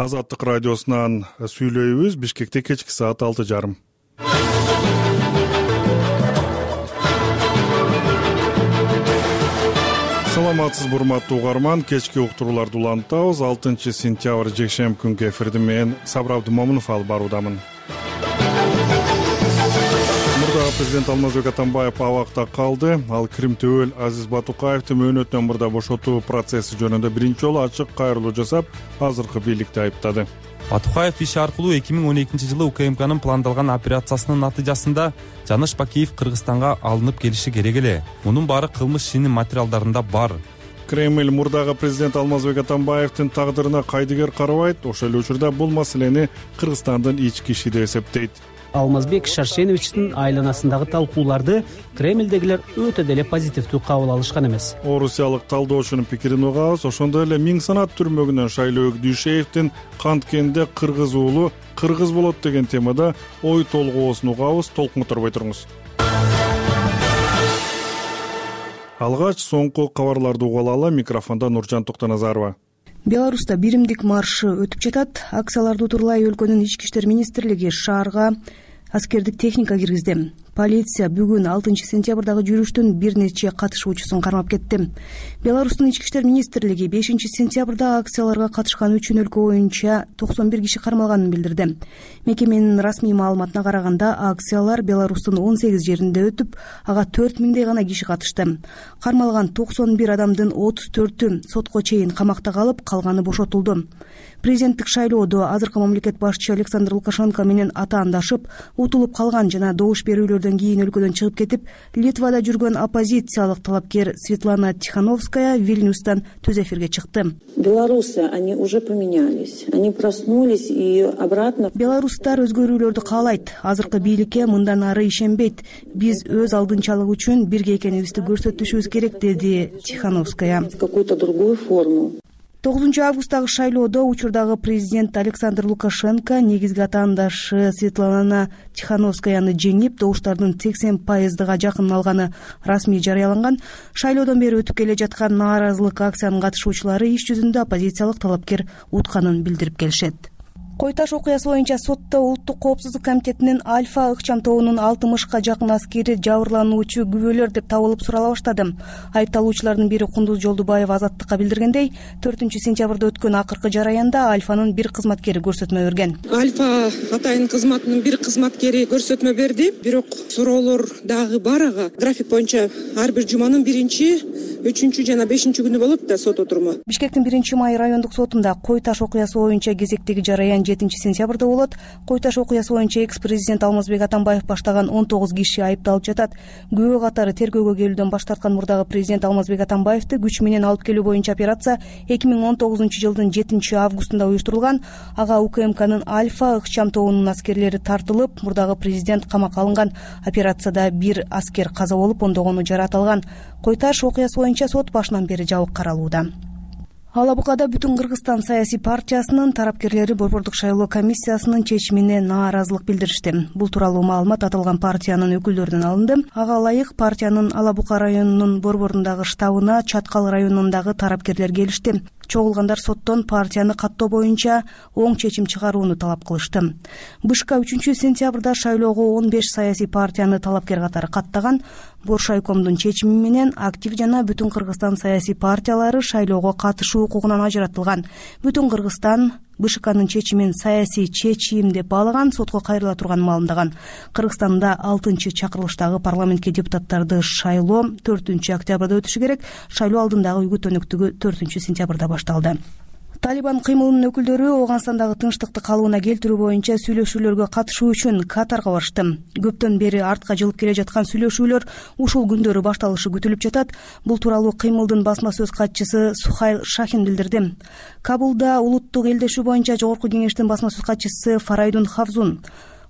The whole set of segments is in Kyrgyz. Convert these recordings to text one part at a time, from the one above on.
Азаттык радиосунан сүйлөйбүз. Бишкекте кечки саат 6:30. Саламатсызбы урматтуу угарман, кечки уктурууларды улантабыз. 6 сентябрь жекшемби күнкү эфирди мен Сабыр Абдымомунов алып баруудамын. Мурдагы президент Алмазбек Атамбаев абакта калды. Ал Крим төбөл Азиз Батукаевди мөөнөтүнөн мурда бошотуу процесси жөнүндө биринчи жолу ачык кайрылуу жасап, азыркы бийликти айыптады. Батукаев иш аркылуу 2012-жылы УКМКнын пландалган операциясынын натыйжасында Жаныш Бакиев Кыргызстанга алынып келиши керек эле. Мунун баары кылмыш ишинин материалдарында бар. Кремль мурдагы президент Алмазбек Атамбаевдин тагдырына кайдыгер карабайт. Ошол эле учурда бул маселени Кыргызстандын ички иши деп эсептейт. Алмазбек Шаршеновичтин айланасындагы талкууларды Кремлдегилер өтө деле позитивдүү кабыл алышкан эмес. Орусиялык талдоочунун пикирин угабыз. Ошондой эле Миң санат түрмөгүнөн Шайлоо Дүйшеевдин канткенде кыргыз уулу кыргыз болот деген темада ой толгоосун угабыз. Толкунторбой туруңуз. Алгач соңку кабарларды угалы. Микрофондо Нуржан Токтоназарова. Беларуста биримдик маршы өтүп жатат. Акцияларды утурлай өлкөнүн ички иштер министрлиги шаарга аскердик техника киргизди. Полиция бүгүн 6 сентябрдагы жүрүштүн бир нече катышуучусун кармап кетти. Беларустун ички иштер министрлиги 5 сентябрда акцияларга катышкан үчүн өлкө боюнча 91 киши кармалганын билдирди. Мекеменин расмий маалыматына караганда, акциялар Беларустун 18 жеринде өтүп, ага 4000дей гана киши катышты. Кармалган 91 адамдын 34-ү сотко чейин камакта калып, калганы бошотулду. Президенттик шайлоодо азыркы мамлекет башчы Александр Лукашенко менен атаандашып, утулуп калган жана добуш берүүлөрдөн кийин өлкөдөн чыгып кетип, Литвада жүргөн оппозициялык талапкер Светлана Тихановская Вильнюстан түз эфирге чыкты. Белорусы, они уже поменялись. Они проснулись и обратно. Белорустар өзгөрүүлөрдү каалайт. Азыркы бийликке мындан ары ишенбейт. Биз өз алдынчалык үчүн бирге экенибизди көрсөтүшүбүз керек, деди Тихановская. Какую-то другую форму. 9 августтагы шайлоодо учурдагы президент Александр Лукашенко негизги атаандашы Светлана Тихановскаяны жеңип, добуштардын 80%га жакын алганы расмий жарыяланган. Шайлоодон бери өтүп келе жаткан нааразылык акциянын катышуучулары иш жүзүндө оппозициялык талапкер утканын билдирип келишет. Кой-Таш окуясы боюнча сотто Улуттук коопсуздук комитетинин Альфа ыкчам тобунун 60 жакын аскери жабырлануучу күбөлөр деп табылып сурала баштады. Айыпталуучулардын бири Кундуз Жолдубаев Азаттыкка билдиргендей, 4 сентябрда өткөн акыркы жараянда Альфанын бир кызматкери көрсөтмө берген. Альфа атайын кызматынын бир кызматкери көрсөтмө берди, бирок суроолор дагы бар. Ага график боюнча ар бир жуманын 1, 3 жана 5 күнү болот да сот отуруму. Бишкектин 1-Май райондук сотунда Кой-Таш окуясы боюнча кезектеги жараян 7 сентябрда болот. Кой-Таш окуясы боюнча экс-президент Алмазбек Атамбаев баштаган 19 киши айыпталып жатат. Күбө катары тергөөгө келүүдөн баш тарткан мурдагы президент Алмазбек Атамбаевди күч менен алып келүү боюнча операция 2019 жылдын 7 августунда уюштурулган. Ага УКМКнын Альфа ыкчам тобунун аскерлери тартылып, мурдагы президент камакка алынган. Операцияда бир аскер каза болуп, ондогону жаракат алган. Кой-Таш окуясы боюнча сот башынан бери жабык каралууда. Алабукада Бүтүн Кыргызстан саясий партиясынын тарапкерлери Борбордук шайлоо комиссиясынын чечимине нааразылык билдиришти. Бул тууралуу маалымат аталган партиянын өкүлдөрүнөн алынды. Ага ылайык партиянын Алабука районунун борборундагы штабына Чаткал районундагы тарапкерлер келишти. Чогулгандар соттон партияны каттоо боюнча оң чечим чыгарууну талап кылышты. БШК 3 сентябрда шайлоого 15 саясий партияны талапкер катары каттаган. Боршайкомдун чечими менен актив жана Бүтүн Кыргызстан саясий партиялары шайлоого катышуу укугунан ажыратылган. Бүтүн Кыргызстан БШКнын чечимин саясий чечим деп баалаган, сотко кайрыла турганын маалымдаган. Кыргызстанда 6 чакырылыштагы парламентке депутаттарды шайлоо 4 октябрда өтүшү керек. Шайлоо алдындагы үгүт өнөктүгү 4 сентябрда башталды. Талибан кыймылынын өкүлдөрү Ооганстандагы тынчтыкты калыбына келтирүү боюнча сүйлөшүүлөргө катышуу үчүн Катарга барышты. Көптөн бери артка жылып келе жаткан сүйлөшүүлөр ушул күндөрү башталышы күтүлүп жатат. Бул тууралуу кыймылдын басма сөз катчысы Сухайл Шахин билдирди. Кабулда улуттук элдешүү боюнча жогорку кеңештин басма сөз катчысы Фарайдун Хавзун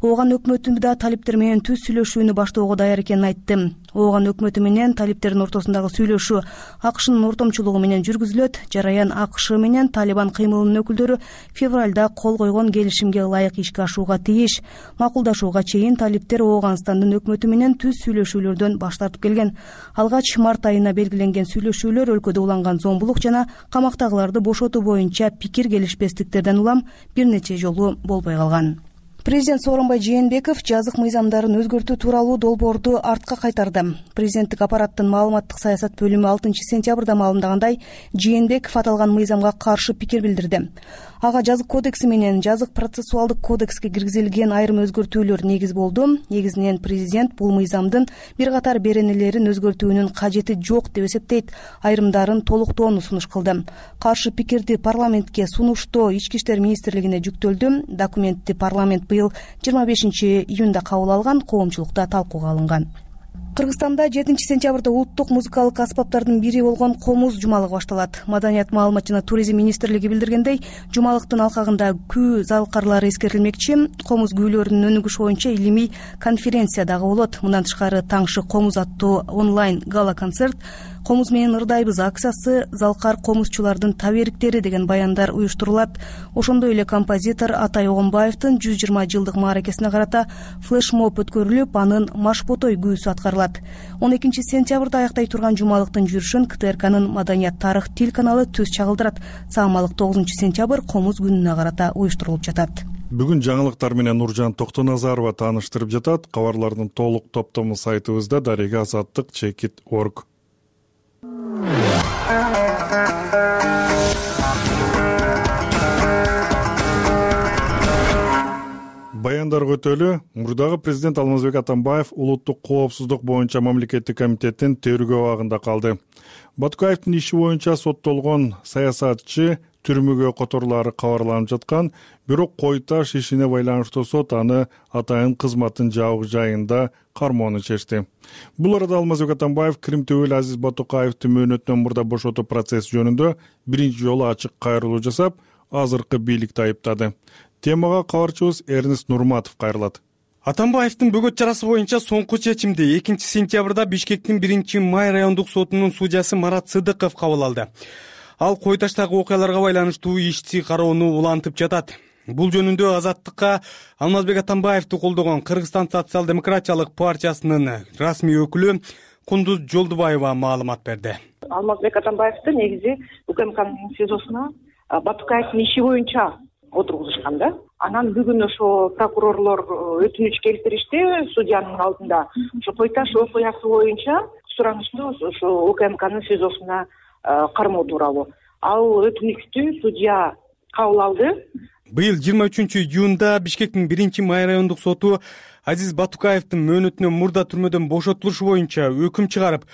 Ооган өкмөтү да талиптер менен түз сүйлөшүүнү баштоого даяр экенин айтты. Ооган өкмөтү менен талиптердин ортосундагы сүйлөшүү АКШнын ортомчулугу менен жүргүзүлөт. Жараян АКШ менен Талибан кыймылынын өкүлдөрү февралда кол койгон келишимге ылайык ишке ашууга тийиш. Макулдашууга чейин талиптер Ооганстандын өкмөтү менен түз сүйлөшүүлөрдөн баш тартып келген. Алгач март айына белгиленген сүйлөшүүлөр өлкөдө уланган зомбулук жана камактагыларды бошотуу боюнча пикир келишпестиктерден улам бир нече жолу болбой калган. Президент Сооронбай Жээнбеков жазык мыйзамдарын өзгөртүү тууралуу долбоорду артка кайтарды. Президенттик аппараттын маалыматтык саясат бөлүмү 6 сентябрда маалымдагандай, Жээнбеков аталган мыйзамга каршы пикир билдирди. Ага жазык кодекси менен жазык процессуалдык кодекске киргизилген айрым өзгөртүүлөр негиз болду. Негизинен президент бул мыйзамдын бир катар беренелерин өзгөртүүнүн кажети жок деп эсептейт, айрымдарын толуктоону сунуш кылды. Каршы пикирди парламентке сунуштоо Ички иштер министрлигине жүктөлдү. Документти парламент быйыл 25 июнда кабыл алган, коомчулукта талкууга алынган. Кыргызстанда 7 сентябрда улуттук музыкалык аспаптардын бири болгон комуз жумалыгы башталат. Маданият, маалымат жана туризм министрлиги билдиргендей, жумалыктын алкагында күү залкарлары эскерилмекчи. Комуз күүлөрүнүн өнүгүшү боюнча илимий конференция дагы болот. Мындан тышкары Таңшы комуз аттуу онлайн гала-концерт, комуз менен ырдайбыз акциясы, залкар комузчулардын табериктери деген баяндар уюштурулат. Ошондой эле композитор Атай Огонбаевдин 120 жылдык мааракесине карата флешмоб өткөрүлүп, анын Машботой күүсү аткарылат. 12 сентябрда аяктай турган жумалыктын жүрүшүн КТРКнын Маданият, тарых, тил каналы түз чагылдырат. Саамалык 9 сентябрь комуз күнүнө карата уюштурулуп жатат. Бүгүн жаңылыктар менен Нуржан Токтоназарова тааныштырып жатат. Кабарлардын толук топтому сайтыбызда дареге азаттык.org. Баяндарга өтөлү. Мурдагы президент Алмазбек Атамбаев улуттук коопсуздук боюнча мамлекеттик комитеттин тергөө абагында калды. Батукаевдин иши боюнча соттолгон саясатчы түрмөгө которулары кабарланып жаткан, бирок Кой Таш ишине байланыштуу сот аны атайын кызматтын жабык жайында кармоону чечти. Бул арада Алмазбек Атамбаев Крим төбөлү Азиз Батукаевди мөөнөтүнөн мурда бошотуу процесси жөнүндө биринчи жолу ачык кайрылуу жасап, азыркы бийликти айыптады. Темага кабарчыбыз Эрнест Нурматов кайрылат. Атамбаевдин бөгөт чарасы боюнча соңку чечимди 2 сентябрда Бишкектин 1-май райондук сотунун судьясы Марат Сыдыков кабыл алды. Ал Кой Таштагы окуяларга байланыштуу ишти кароону улантып жатат. Бул жөнүндө Азаттыкка Алмазбек Атамбаевди колдогон Кыргызстан социал-демократиялык партиясынын расмий өкүлү Кундуз Жолдубаева маалымат берди. Алмазбек Атамбаевди негизи УКМКнын СИЗОсуна Батукаевдин иши боюнча отургузушкан да. Анан бүгүн ошо прокурорлор өтүнүч келтиришти судьянын алдында. Ошо Кой Таш окуясы боюнча суранышты ошо УКМКнын СИЗОсуна кармоо тууралуу. Ал өтүнүчтү судья кабыл алды. Быйыл 23 июнда Бишкектин 1-май райондук соту Азиз Батукаевдин мөөнөтүнөн мурда түрмөдөн бошотулушу боюнча өкүм чыгарып,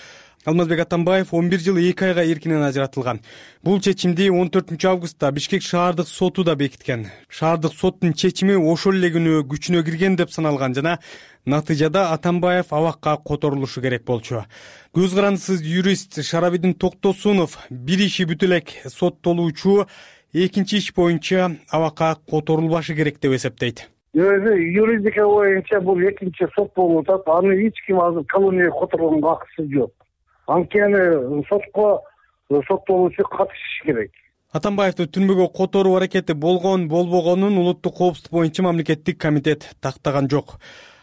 Алмазбек Атамбаев 11 жыл 2 айга эркинен ажыратылган. Бул чечимди 14 августта Бишкек шаардык соту да бекиткен. Шаардык соттун чечими ошол эле күнү күчүнө кирген деп саналган жана натыйжада Атамбаев абакка которулушу керек болчу. Көз карандысыз юрист Шарабидин Токтосунов бир иши бүтө элек соттолуучу экинчи иш боюнча абакка которулбашы керек деп эсептейт. Юридика боюнча бул экинчи сот болуп атат. Аны эч ким азыр колонияга которгонго акысы жок. Анткени сотко соттолуучу катышыш керек. Атамбаевди түрмөгө которуу аракети болбогонун улуттук коопсуздук боюнча мамлекеттик комитет тактаган жок.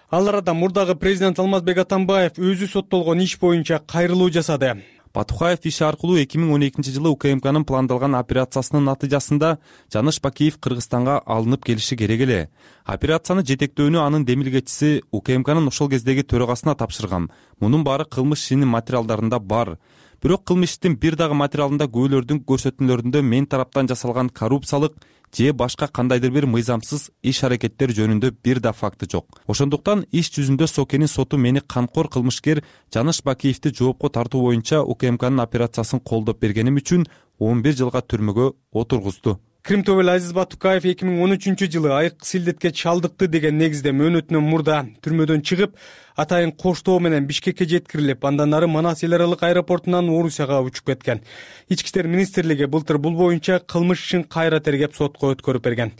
Ал арада мурдагы президент Алмазбек Атамбаев өзү соттолгон иш боюнча кайрылуу жасады. Батукаев иши аркылуу 2012 жылы УКМКнын пландалган операциясынын натыйжасында Жаныш Бакиев Кыргызстанга алынып келиши керек эле. Операцияны жетектөөнү анын демилгечиси УКМКнын ошол кездеги төрагасына тапшырган. Мунун баары кылмыш ишинин материалдарында бар. Бирок кылмыш иштин бир дагы материалында күбөлөрдүн көрсөтмөлөрүндө мен тараптан жасалган коррупциялык же башка кандайдыр бир мыйзамсыз иш аракеттер жөнүндө бир да факты жок. Ошондуктан иш жүзүндө Сокенин соту мени канкор кылмышкер Жаныш Бакиевди жоопко тартуу боюнча УКМКнын операциясын колдоп бергеним үчүн 11 жылга түрмөгө отургузду. Крим төбөлү Азиз Батукаев 2013 жылы айык силдетке чалдыкты деген негизде мөөнөтүнөн мурда түрмөдөн чыгып, атайын коштоо менен Бишкекке жеткирилип, андан ары Манас эл аралык аэропортунан Орусияга учуп кеткен. Ички иштер министрлиги былтыр бул боюнча кылмыш ишин кайра тергеп сотко өткөрүп берген.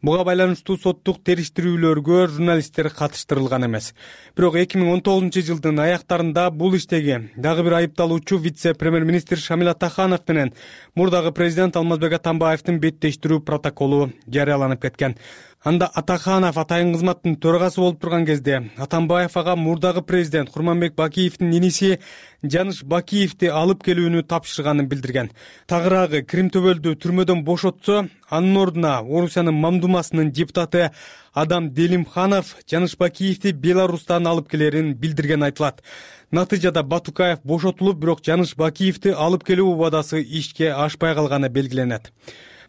Буга байланыштуу соттук териштирүүлөргө журналисттер катыштырылган эмес. Бирок 2019-жылдын аяктарында бул иштеги дагы бир айыпталуучу вице-премьер-министр Шамил Атаханов менен мурдагы президент Алмазбек Атамбаевдин беттештирүү протоколу жарыяланып кеткен. Анда Атаханов атайын кызматтын төрагасы болуп турган кезде Атамбаев ага мурдагы президент Курманбек Бакиевдин иниси Жаныш Бакиевди алып келүүнү тапшырганын билдирген. Тагыраагы Крим төбөлдү түрмөдөн бошотсо, анын ордуна Орусиянын Мамдумасынын депутаты Адам Делимханов Жаныш Бакиевди Беларустан алып келерин билдирген айтылат. Натыйжада Батукаев бошотулуп, бирок Жаныш Бакиевди алып келүү убадасы ишке ашпай калганы белгиленет.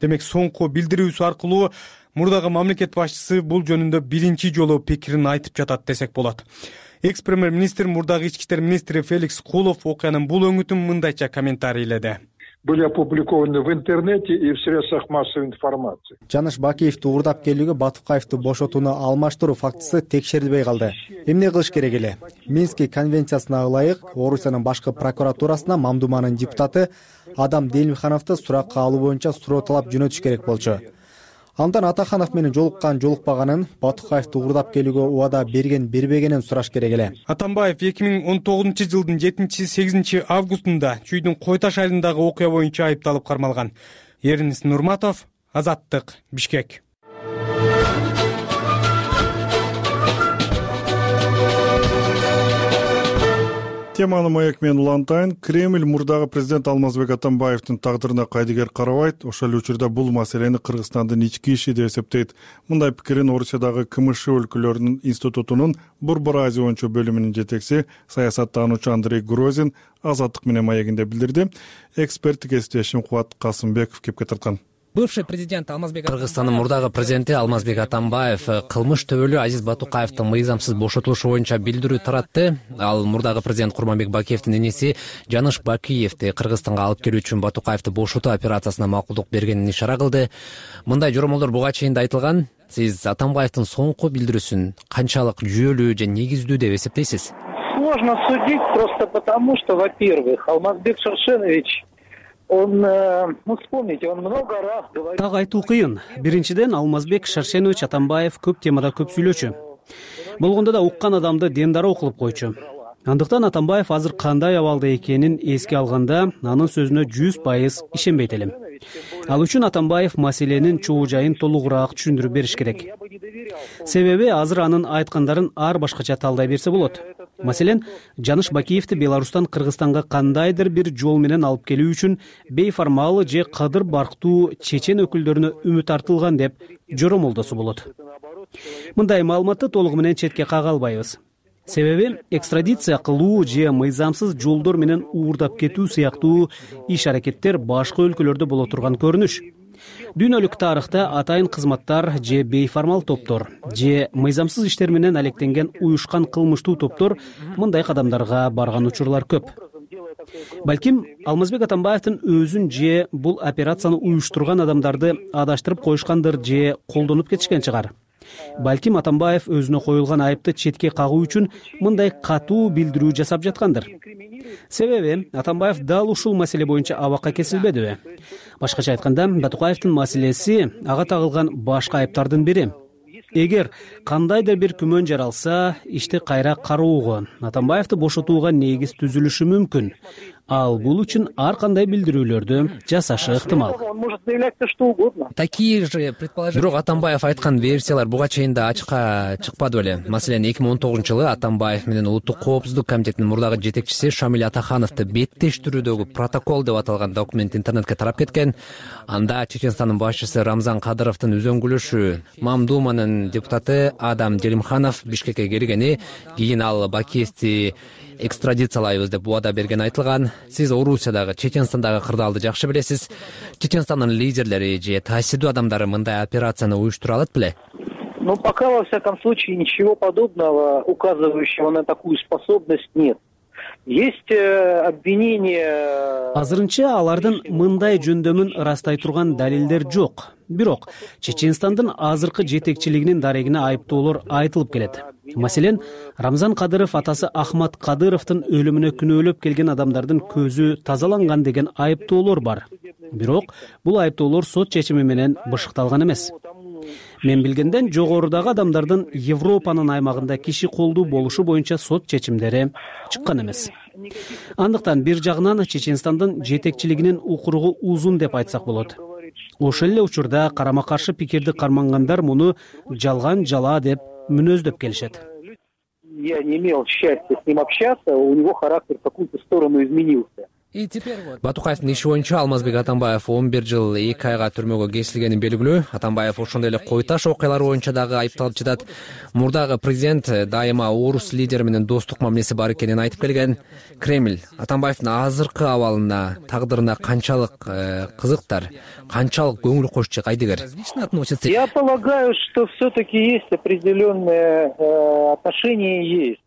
Демек, соңку билдирүүсү аркылуу мурдагы мамлекет башчысы бул жөнүндө биринчи жолу пикирин айтып жатат десек болот. Экс-премьер-министр мурдагы ички иштер министри Феликс Кулов окуянын бул өңүтүн мындайча комментарийледи. Были опубликованы в интернете и в средствах массовой информации. Жаныш Бакиевди уурдап келүүгө Батукаевди бошотууну алмаштыруу фактысы текшерилбей калды. Эмне кылыш керек эле? Минский конвенциясына ылайык Орусиянын башкы прокуратурасына Мамдуманын депутаты Адам Делимхановду суракка алуу боюнча суроо талап жөнөтүш керек болчу. Андан Атаханов менен жолуккан жолукпаганын, Батукаевди уурдап келүүгө убада бербегенин сураш керек эле. Атамбаев 2019-жылдын 7-8 августунда Чүйдүн Кой Таш айылындагы окуя боюнча айыпталып кармалган. Эринис Нурматов, Азаттык, Бишкек. Теманы Маяк менен улантайын. Кремль мурдагы президент Алмазбек Атамбаевдин тагдырына кайдыгер карабайт. Ошол эле учурда бул маселени Кыргызстандын ички иши деп эсептейт. Мындай пикирин Орусиядагы КМШ өлкөлөрүнүн институтунун Борбор Азия боюнча бөлүмүнүн жетекчиси саясаттануучу Андрей Грозин Азаттык менен Маегинде билдирди. Эксперттик кесиптешим Кубат Касымбеков кепке тарткан. Бывший президент Алмазбек Кыргызстандын мурдагы президенти Алмазбек Атамбаев кылмыш төбөлү Азиз Батукаевдин мыйзамсыз бошотулушу боюнча билдирүү таратты. Ал мурдагы президент Курманбек Бакиевдин иниси Жаныш Бакиевди Кыргызстанга алып келүү үчүн Батукаевди бошотуу операциясына макулдук бергенин ишара кылды. Мындай жоромолдор буга чейин да айтылган. Сиз Атамбаевдин соңку билдирүүсүн канчалык жүйөлүү же негиздүү деп эсептейсиз? Сложно судить просто потому, что, во-первых, Алмазбек Шаршенович вспомните, он много раз говорил. Так айтуу кыйын. Биринчиден, Алмазбек Шаршенович Атамбаев көп темада көп сүйлөчү. Болгондо да уккан адамды дендары кылып койчу. Андыктан Атамбаев азыр кандай абалда экенин эске алганда, анын сөзүнө 100% ишенбейт элем. Ал үчүн Атамбаев маселенин чоо жайын толугураак түшүндүрүп бериш керек. Себеби азыр анын айткандарын ар башкача талдай берсе болот. Маселен, Жаныш Бакиевди Беларустан Кыргызстанга кандайдыр бир жол менен алып келүү үчүн бейформал же кадыр барктуу чечен өкүлдөрүнө үмүт артылган деп жоромолдосо болот. Мындай маалыматты толугу менен четке кага албайбыз. Себеби экстрадиция кылуу же мыйзамсыз жолдор менен уурдап кетүү сыяктуу иш-аракеттер башка өлкөлөрдө боло турган көрүнүш. Дүйнөлүк тарыхта атайын кызматтар же бейформал топтор же мыйзамсыз иштер менен алектенген уюшкан кылмыштуу топтор мындай кадамдарга барган учурлар көп. Балким Алмазбек Атамбаевдин өзүн же бул операцияны уюштурган адамдарды адаштырып коюшкандыр же колдонуп кетишкен чыгар. Балким Атамбаев өзүнө коюлган айыпты четке кагуу үчүн мындай катуу билдирүү жасап жаткандыр. Себеби Атамбаев дал ушул маселе боюнча абакка кесилбедиби? Башкача айтканда, Батукаевдин маселеси ага тагылган башка айыптардын бири. Эгер кандайдыр бир күмөн жаралса, ишти кайра кароого, Атамбаевди бошотууга негиз түзүлүшү мүмкүн. Ал бул үчүн ар кандай билдирүүлөрдү жасашы ыктымал. Такие же предположения. Бирок Атамбаев айткан версиялар буга чейин да ачыкка чыкпады беле. Маселен, 2019-жылы Атамбаев менен Улуттук коопсуздук комитетинин мурдагы жетекчиси Шамил Атахановду беттештирүүдөгү протокол деп аталган документ интернетке тарап кеткен. Анда Чеченстандын башчысы Рамзан Кадыровдун үзөңгүлүшү Мамдуманын депутаты Адам Делимханов Бишкекке келгени, кийин ал Бакиевди экстрадициялайбыз деп убада берген айтылган. Сиз Орусиядагы, Чеченстандагы кырдаалды жакшы билесиз. Чеченстандын лидерлери же таасирдүү адамдары мындай операцияны уюштура алат беле? Пока, во всяком случае, ничего подобного, указывающего на такую способность, нет. Есть обвинение. Азырынча алардын мындай жөндөмүн ырастай турган далилдер жок. Бирок Чеченстандын азыркы жетекчилигинин дарегине айыптоолор айтылып келет. Маселен, Рамзан Кадыров атасы Ахмат Кадыровдун өлүмүнө күнөөлөп келген адамдардын көзү тазаланган деген айыптоолор бар. Бирок бул айыптоолор сот чечими менен бышыкталган эмес. Мен билгенден жогорудагы адамдардын Европанын аймагында киши колдуу болушу боюнча сот чечимдери чыккан эмес. Андыктан бир жагынан Чеченстандын жетекчилигинин укуругу узун деп айтсак болот. Ошол эле учурда карама каршы пикирди кармангандар муну жалган жала деп мүнөздөп келишет. Я не имел счастья с ним общаться, у него характер в какую-то сторону изменился. Батукаевдин иши боюнча Алмазбек Атамбаев 11 жыл 2 айга түрмөгө кесилгенин белгилүү. Атамбаев ошондой эле Кой Таш окуялары боюнча дагы айыпталып жатат. Мурдагы президент дайыма орус лидери менен достук мамилеси бар экенин айтып келген. Кремль Атамбаевдин азыркы абалына, тагдырына канчалык кызыктар, канчалык көңүл кошчу кайдыгер? Я полагаю, что все-таки есть определенные отношения есть.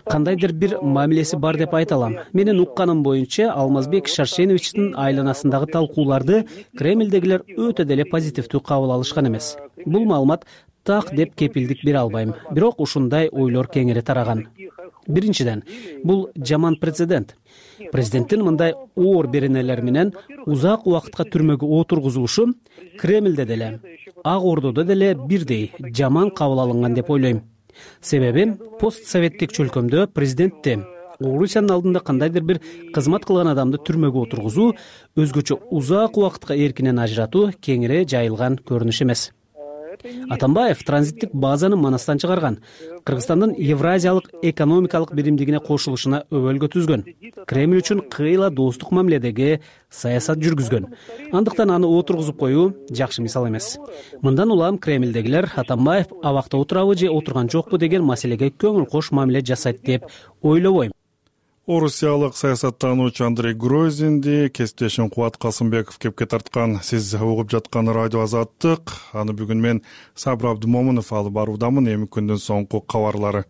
Кандайдыр бир мамилеси бар деп айта алам. Менин укканым боюнча Алмазбек Шаршеновичтин айланасындагы талкууларды Кремлдегилер өтө деле позитивдүү кабыл алышкан эмес. Бул маалымат так деп кепилдик бере албайм. Бирок ушундай ойлор кеңири тараган. Биринчиден, бул жаман прецедент. Президенттин мындай оор беренелер менен узак убакытка түрмөгө отургузулушу Кремлде деле, Ак Ордодо деле бирдей жаман кабыл алынган деп ойлойм. Себеби постсоветтик чөлкөмдө президентти Орусиянын алдында кандайдыр бир кызмат кылган адамды түрмөгө отургузуу, өзгөчө узак убакытка эркинен ажыратуу кеңири жайылган көрүнүш эмес. Атамбаев транзиттик базаны Манастан чыгарган, Кыргызстандын Евразиялык экономикалык биримдигине кошулушуна өбөлгө түзгөн, Кремль үчүн кыйла достук мамиледеги саясат жүргүзгөн. Андыктан аны отургузуп коюу жакшы мисал эмес. Мындан улам Кремлдегилер Атамбаев абакта отурабы же отурган жокпу деген маселеге көңүл кош мамиле жасайт деп ойлобойм. Орусиялык саясаттануучу Андрей Грозинди кесиптешим Кубат Касымбеков кепке тарткан. Сиз угуп жаткан радио Азаттык. Аны бүгүн мен Сабыр Абдымомунов алып баруудамын. Эми күндүн соңку кабарлары.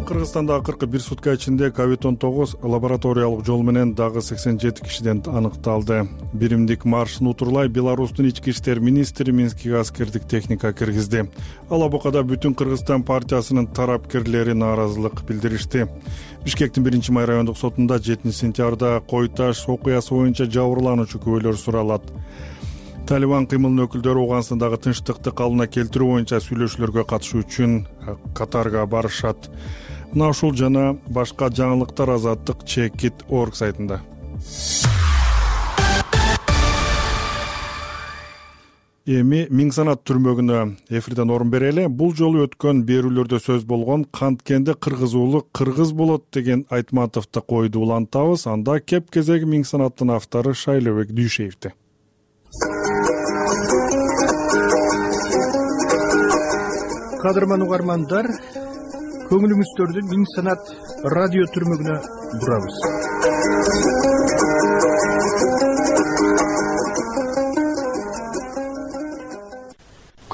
Кыргызстанда акыркы бир сутка ичинде COVID-19 лабораториялык жол менен дагы 87 кишиден аныкталды. Биримдик маршын утурлай Беларустун ички иштер министри Минскиге аскердик техника киргизди. Ал абакада бүтүн Кыргызстан партиясынын тарапкерлери нааразылык билдиришти. Бишкектин 1-май райондук сотунда 7-сентябрда Кой Таш окуясы боюнча жабырлануучу күбөлөр суралат. Талибан кыймылынын өкүлдөрү Ооганстандагы тынчтыкты калыбына келтирүү боюнча сүйлөшүүлөргө катышуу үчүн Катарга барышат. Мына ушул жана башка жаңылыктар Азаттык Checkit.org сайтында. Эми Миң Санат түрмөгүнө эфирден орун берели. Бул жолу өткөн берүүлөрдө сөз болгон канткенде кыргызуулук кыргыз болот деген Айтматовду койду улантабыз. Анда кеп кезеги Миң Санаттын автору Шайлообек Дүйшеевди. Кадырман угармандар, көңүлүңүздөрдү Миң Санат радио түрмөгүнө бурабыз.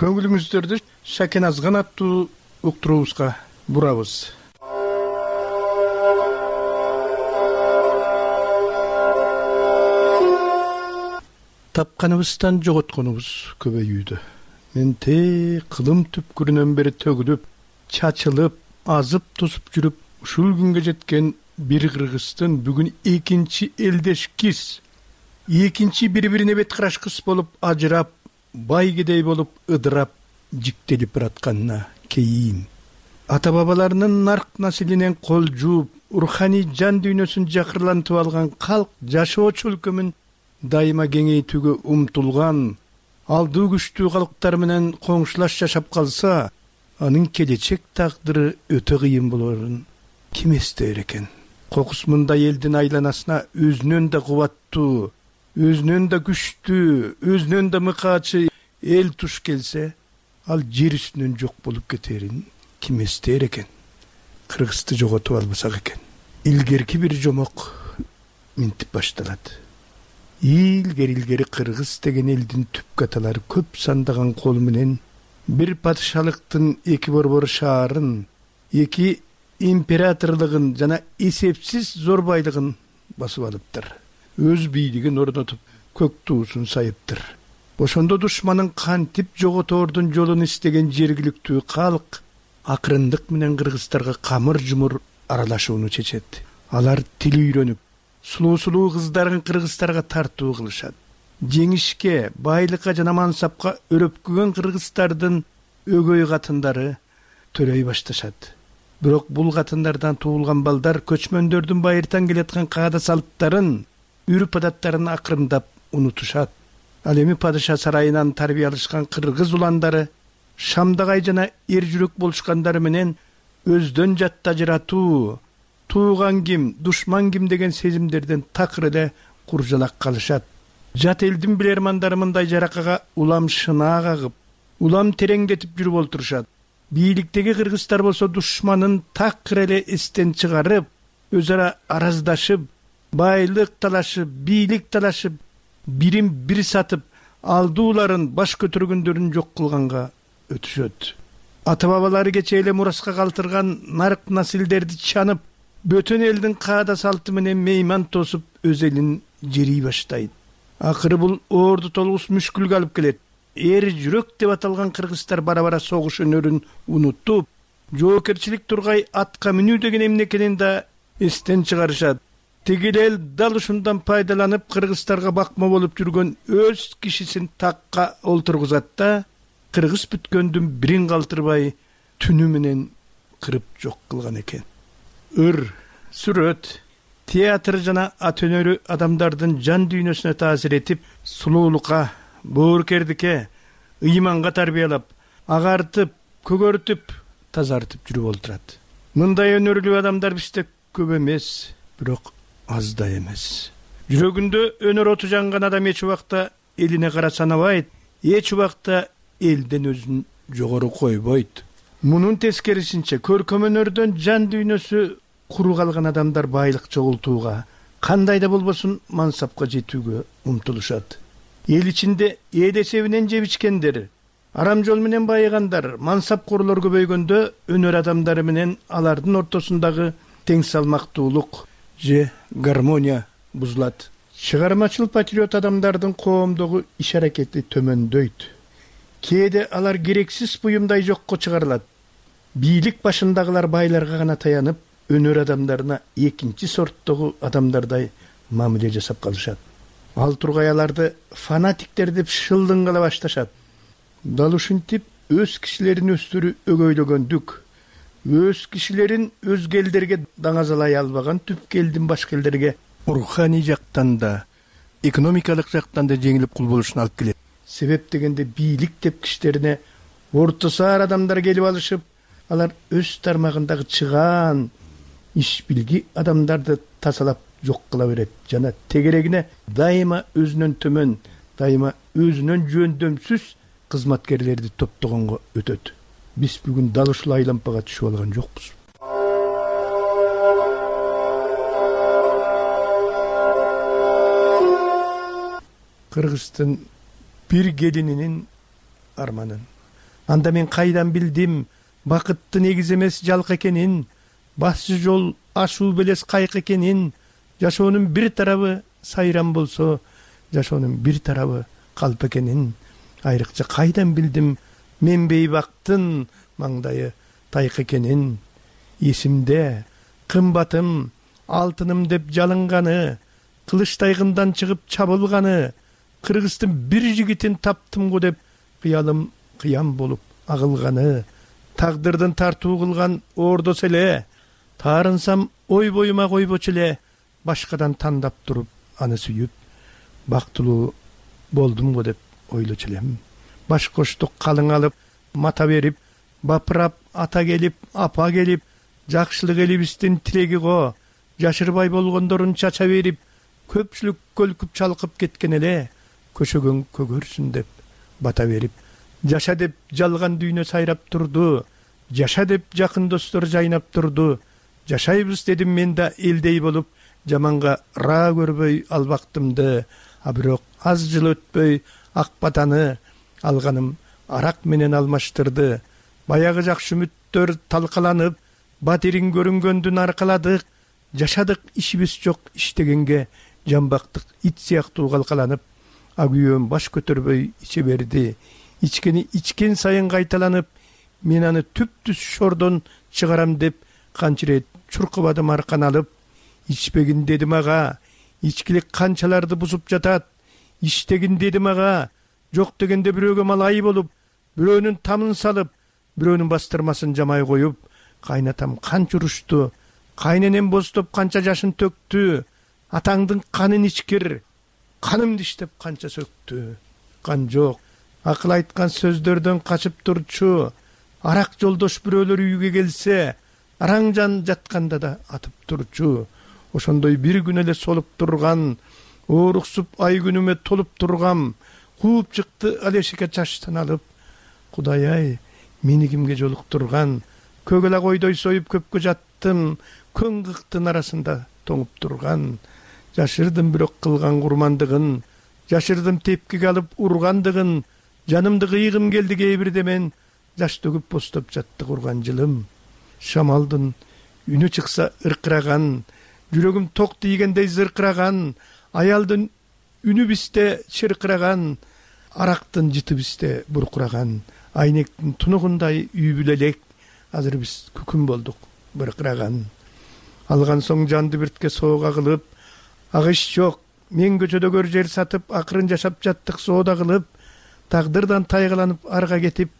Көңүлүңүздөрдү Шакен Азган аттуу уктуруубузга бурабыз. Тапканыбыздан жоготконубуз көбөйүүдө. Мен кылым түпкүрүнөн бери төгүлүп, чачылып, азып тосуп жүрүп, ушул күнгө жеткен бир кыргыздын бүгүн экинчи элдеш киз, экинчи бири-бирине бет караш кыз болуп ажырап, байгедей болуп ыдырап, жиктелип баратканына кийин. Ата-бабаларынын нарк населинен кол жууп, руханий жан дүйнөсүн жакырлантып алган калк жашоо чөлкөмүн дайыма кеңейтүүгө умтулган, алдуу күчтүү калктар менен коңшулаш жашап калса, анын келечек тагдыры өтө кыйын болорун ким эстейер экен? Кокус мындай элдин айланасына өзүнөн да кубаттуу, өзүнөн да күчтүү, өзүнөн да мыкаачы эл туш келсе, ал жер үстүнөн жок болуп кетерин ким эстейер экен? Кыргызды жоготуп албасак экен. Илгерки бир жомок минтип башталат. Илгери кыргыз деген элдин түп каталары көп сандаган кол менен бир падышалыктын эки борбор шаарын, эки императорлугун жана эсепсиз зор байлыгын басып алыптыр. Өз бийлигин орнотуп көк туусун сайыптыр. Ошондо душманын кантип жоготордун жолун истеген жергиликтүү калк акырындык менен кыргыздарга камыр жумур аралашууну чечет. Алар тил үйрөнүп, сулуу кыздарын кыргыздарга тартуу кылышат. Жеңишке, байлыкка жана мансапка өрөпкүгөн кыргыздардын өгөй катындары төрөй башташат. Бирок бул катындардан туулган балдар көчмөндөрдүн байыртан келаткан каада салттарын, үрп адаттарын акырындап унутушат. Ал эми падыша сарайынан тарбия алышкан кыргыз уландары шамдагай жана эр жүрөк болушкандары менен өздөн жатта ажыратуу, тууган ким, душман ким деген сезимдерден такыр эле куржалак калышат. Жат элдин билермандары мындай жаракага улам шынаа кагып, улам тереңдетип жүрүп олтурушат. Бийликтеги кыргыздар болсо душманын такыр эле эстен чыгарып, өз ара араздашып, байлык талашып, бийлик талашып, бирин бир сатып, алдууларын, баш көтөргөндөрүн жок кылганга өтүшөт. Ата бабалары кече эле мураска калтырган нарк насилдерди чанып, бөтөн элдин каада салты менен мейман тосуп, өз элин жерий баштайт. Акыры бул орду толугус мүшкүлгө алып келет. Эр жүрөк деп аталган кыргыздар бара-бара согуш өнөрүн унутуп, жоокерчилик тургай атка мүнүү деген эмне экенин да эстен чыгарышат. Тигил эл дал ушундан пайдаланып кыргыздарга бакма болуп жүргөн өз кишисин такка олтургузат да, кыргыз бүткөндүн бирин калтырбай түнү менен кырып жок кылган экен. Ыр, сүрөт, театр жана ат өнөрү адамдардын жан дүйнөсүнө таасир этип, сулуулукка, боорукердикке, ыйманга тарбиялап, агартып, көгөртүп, тазартып жүрүп олтурат. Мындай өнөрлүү адамдар бизде көп эмес, бирок аз да эмес. Жүрөгүндө өнөр оту жанган адам эч убакта элине кара санабайт, эч убакта элден өзүн жогору койбойт. Мунун тескерисинче көркөм өнөрдөн жан дүйнөсү куру калган адамдар байлык чогултууга, кандай да болбосун мансапка жетүүгө умтулушат. Эл ичинде эл эсебинен жеп ичкендер, арам жол менен байыгандар, мансапкорлор көбөйгөндө өнөр адамдары менен алардын ортосундагы тең салмактуулук же гармония бузулат. Чыгармачыл патриот адамдардын коомдогу иш аракети төмөндөйт. Кээде алар керексиз буюмдай жокко чыгарылат. Бийлик башындагылар байларга гана таянып, өнөр адамдарына экинчи сорттогу адамдардай мамиле жасап калышат. Ал тургай аларды фанатиктер деп шылдыңгала башташат. Дал ушинтип өз кишилерин өстүрүү өгөйлөгөндүк, өз кишилерин өзге элдерге даңазалай албаган түпкү элдин башка элдерге руханий жактан да, экономикалык жактан да жеңилип кул болушуна алып келет. Себеп дегенде бийлик деп кишилерине орто саар адамдар келип алышып, алар өз тармагындагы чыгаан, иш билги адамдарды тазалап жок кыла берет жана тегерегине дайыма өзүнөн төмөн, дайыма өзүнөн жөндөмсүз кызматкерлерди топтогонго өтөт. Биз бүгүн дал ушул айлампага түшүп алган жокпуз. Кыргыздын бир келининин арманын. Анда мен кайдан билдим бакыттын негиз эмес жалк экенин, башчы жол ашуу белес кайк экенин, жашоонун бир тарабы сайран болсо, жашоонун бир тарабы калп экенин. Айрыкча кайдан билдим мен бейбактын маңдайы тайк экенин. Эсимде кымбатым, алтыным деп жалынганы, кылычтайгындан чыгып чабылганы, кыргыздын бир жигитин таптым го деп кыялым кыям болуп агылганы, тагдырдын тартуу кылган ордос эле, таарынсам ой боюма койбочу эле, башкадан тандап туруп аны сүйүп, бактылуу болдум го деп ойлочу элем. Баш коштук калың алып, мата берип, бапырап, ата келип, апа келип, жакшылык элибиздин тилеги го, жашырбай болгондорун чача берип, көпчүлүк көлкүп чалкып кеткен эле, көчөгөң көгөрсүн деп бата берип, жаша деп жалган дүйнө сайрап турду, жаша деп жакын достор жайнап турду, жашайбыз дедим мен да элдей болуп, жаманга ра көрбөй албактымды, а бирок аз жыл өтпөй ак батаны алганым арак менен алмаштырды. Баягы жакшы үмүттөр талкаланып, батирин көрүнгөндүн аркаладык, жашадык, ишибиз жок иштегенге жамбактык ит сыяктуу калкаланып, агүйөөм баш көтөрбөй иче берди. Ичкени ичкен сайын кайталанып, мен аны түп-түз шордон чыгарам деп канча ирет чуркабадым аркан алып. Ичпегин дедим ага, ичкилик канчаларды бузуп жатат. Иштегин дедим ага, жок дегенде бирөөгө малай болуп, бирөөнүн тамын салып, бирөөнүн бастырмасын жамай коюп. Кайнатам канча урушту, кайненем бостоп канча жашын төктү. Атаңдын канын ичкир, канымды иштеп канча сөктү. Кан жок, акыл айткан сөздөрдөн качып турчу. Арак жолдош бирөөлөр үйгө келсе, араң жан жатканда да атып турчу. Ошондой бир күн эле солуп турган, ооруксуп ай күнүмө толуп тургам. Кууп чыкты алешике чачтан алып. Кудай-ай, мени кимге жолуктурган? Көгөлак ойдой союп көпкө жаттым, көң кыктын арасында тоңуп турган. Жашырдым бирок кылган курмандыгын, жашырдым тепкиге алып ургандыгын. Жанымды кыйгым келди кээ бирде мен, жаш төгүп бостоп жатты курган жылым. Шамалдын үнү чыкса ыркыраган, жүрөгүм ток тийгендей зыркыраган. Аялдын үнү бизде чыркыраган, арактын жыты бизде буркураган. Айнектин тунугундай үй бүлө элек, азыр биз күкүм болдук быркыраган. Алган соң жанды биртке соога кылып, агыш жок, мен көчөдөгөр жер сатып, акырын жашап жаттык соода кылып. Тагдырдан тайгаланып арга кетип,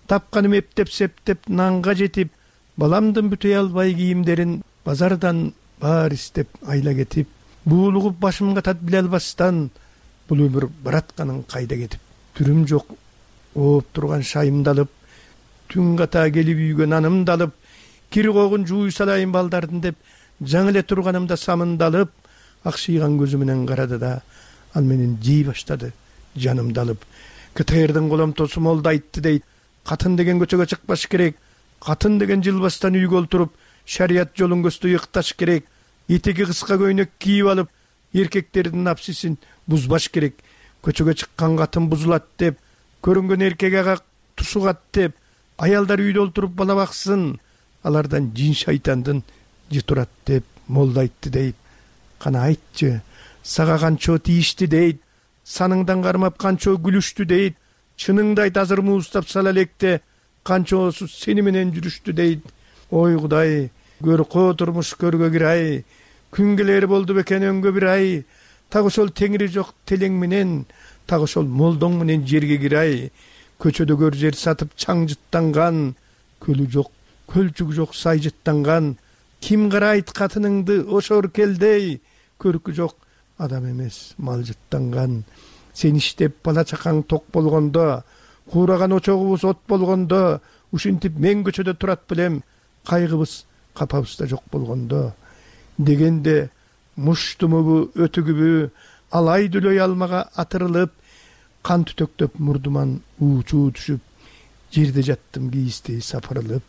тапканым эптеп септеп нанга жетип, баламдын бүтөй албай кийимдерин базардан баар истеп айла кетип, буулугуп башымга тат биле албастан, бул өмүр баратканын кайда кетип. Түрүм жок, ооп турган шайымды алып, түн ката келип үйгө нанымды алып, кир когун жууй салайын балдардын деп, жаңы эле турганымда самынды алып, акшыйган көзү менен карады да, ал менен жей баштады жанымды алып. КТРдин коломтосу молду айтты дейт, катын деген көчөгө чыкпаш керек, катын деген жылбастан үйгө олтуруп, шарият жолун көздөй ыкташ керек, этеги кыска көйнөк кийип алып, эркектердин напсисин бузбаш керек. Көчөгө чыккан катын бузулат деп, көрүнгөн эркек ага тушугат деп, аялдар үйдө олтуруп бала баксын, алардан жин шайтандын жытурат деп молду айтты дейт. Кана айтчы, сага канчо тийишти дейт, саныңдан кармап канчо күлүштү дейт, чыныңды айт азыр муустап сала электе, канчосу сени менен жүрүштү дейт. Ой Кудай, көркө турмуш көргө кирай, күн келери болду бекен өңгө бир ай, так ошол теңири жок телең менен, так ошол молдоң менен жерге кирай. Көчөдөгөр жер сатып чаң жыттанган, көлү жок, көлчүгү жок сай жыттанган. Ким карайт катыныңды ошор келдей, көркү жок адам эмес мал жыттанган. Сен иштеп бала чакаң ток болгондо, куураган очогубуз от болгондо, ушинтип мен көчөдө турат белем, кайгыбыз капабызда жок болгондо. Дегенде муштумубу өтүгүбү алай дүлөй алмага атырылып, кан түтөктөп мурдуман уучу түшүп, жерде жаттым кийистей сапырылып.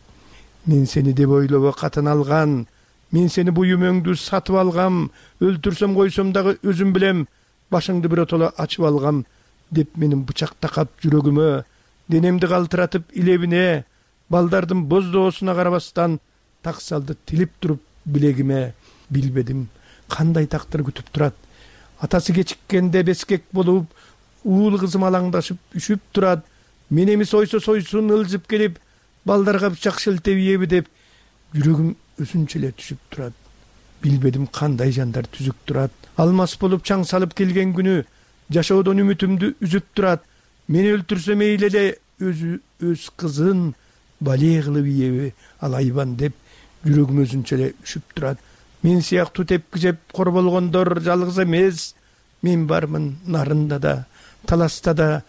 Мен сени деп ойлобо катын алган, мен сени буюмөңдү сатып алгам, өлтүрсөм койсом дагы өзүм билем, башыңды биротоло ачып алгам, деп менин бычак такап жүрөгүмө, денемди калтыратып илебине, балдардын боздоосуна карабастан так салды тилип туруп билегиме. Билбедим кандай тактыр күтүп турат, атасы кечиккенде бескек болуп, уул кызым алаңдашып үшүп турат, мен эмес ойсо сойсун ылжып келип, балдарга бычак шелтеп ийеби деп, жүрөгүм өзүнчө эле түшүп турат. Билбедим кандай жандар түзүк турат, алмас болуп чаң салып келген күнү, жашоодон үмүтүмдү үзүп турат. Мени өлтүрсө мейли эле, өзү өз кызын бале кылып ийеби алайбан деп, жүрөгүм өзүнчө эле үшүп турат. Мен сыяктуу тепки жеп кор болгондор жалгыз эмес, мен бармын нарында да, таласта да,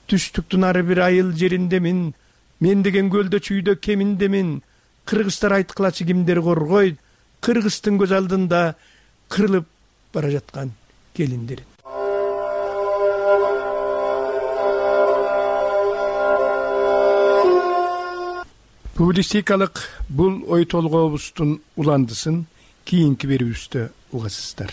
түштүктүн ар бир айыл жериндемин. Мен деген көлдө чүйдө кеминдемин. Кыргыздар айткылачы кимдер коргойт, кыргыздын көз алдында кырылып бара жаткан келиндерин. Публистикалык бул ой толгообуздун уландысын кийинки берүүбүздө угасыздар.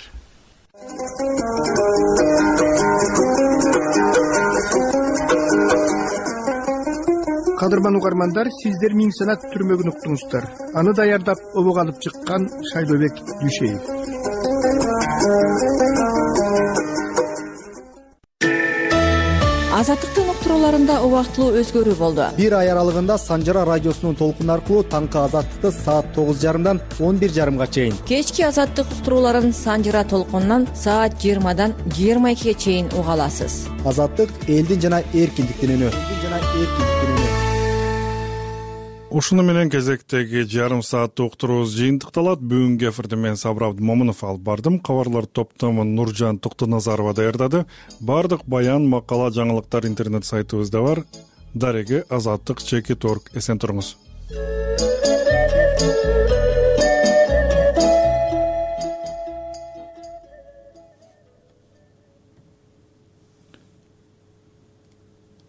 кадырман угармандар, сиздер Миң санат түрмөгүн уктуңуздар. Аны даярдап обого алып чыккан Шайлообек Дүйшеев. Азаттыктын уктурууларында убактылуу өзгөрүү болду. Бир ай аралыгында Санжара радиосунун толкуну аркылуу таңкы Азаттыкты саат 9:30 11:30 чейин, Кечки Азаттык уктурууларын Санжара толкунунан саат 20 22 чейин уга аласыз. Азаттык элдин жана эркиндиктин үнү. Ушуну менен кезектеги жарым сааттык уктуруубуз жыйынтыкталат. Бүгүнкү эфирди мен Сабыр Абдымомунов алып бардым. Кабарлар топтомун Нуржан Токтоназарова даярдады. Бардык баян, макала, жаңылыктар интернет сайтыбызда бар. Дареги Азаттык /org. Эсен туруңуз.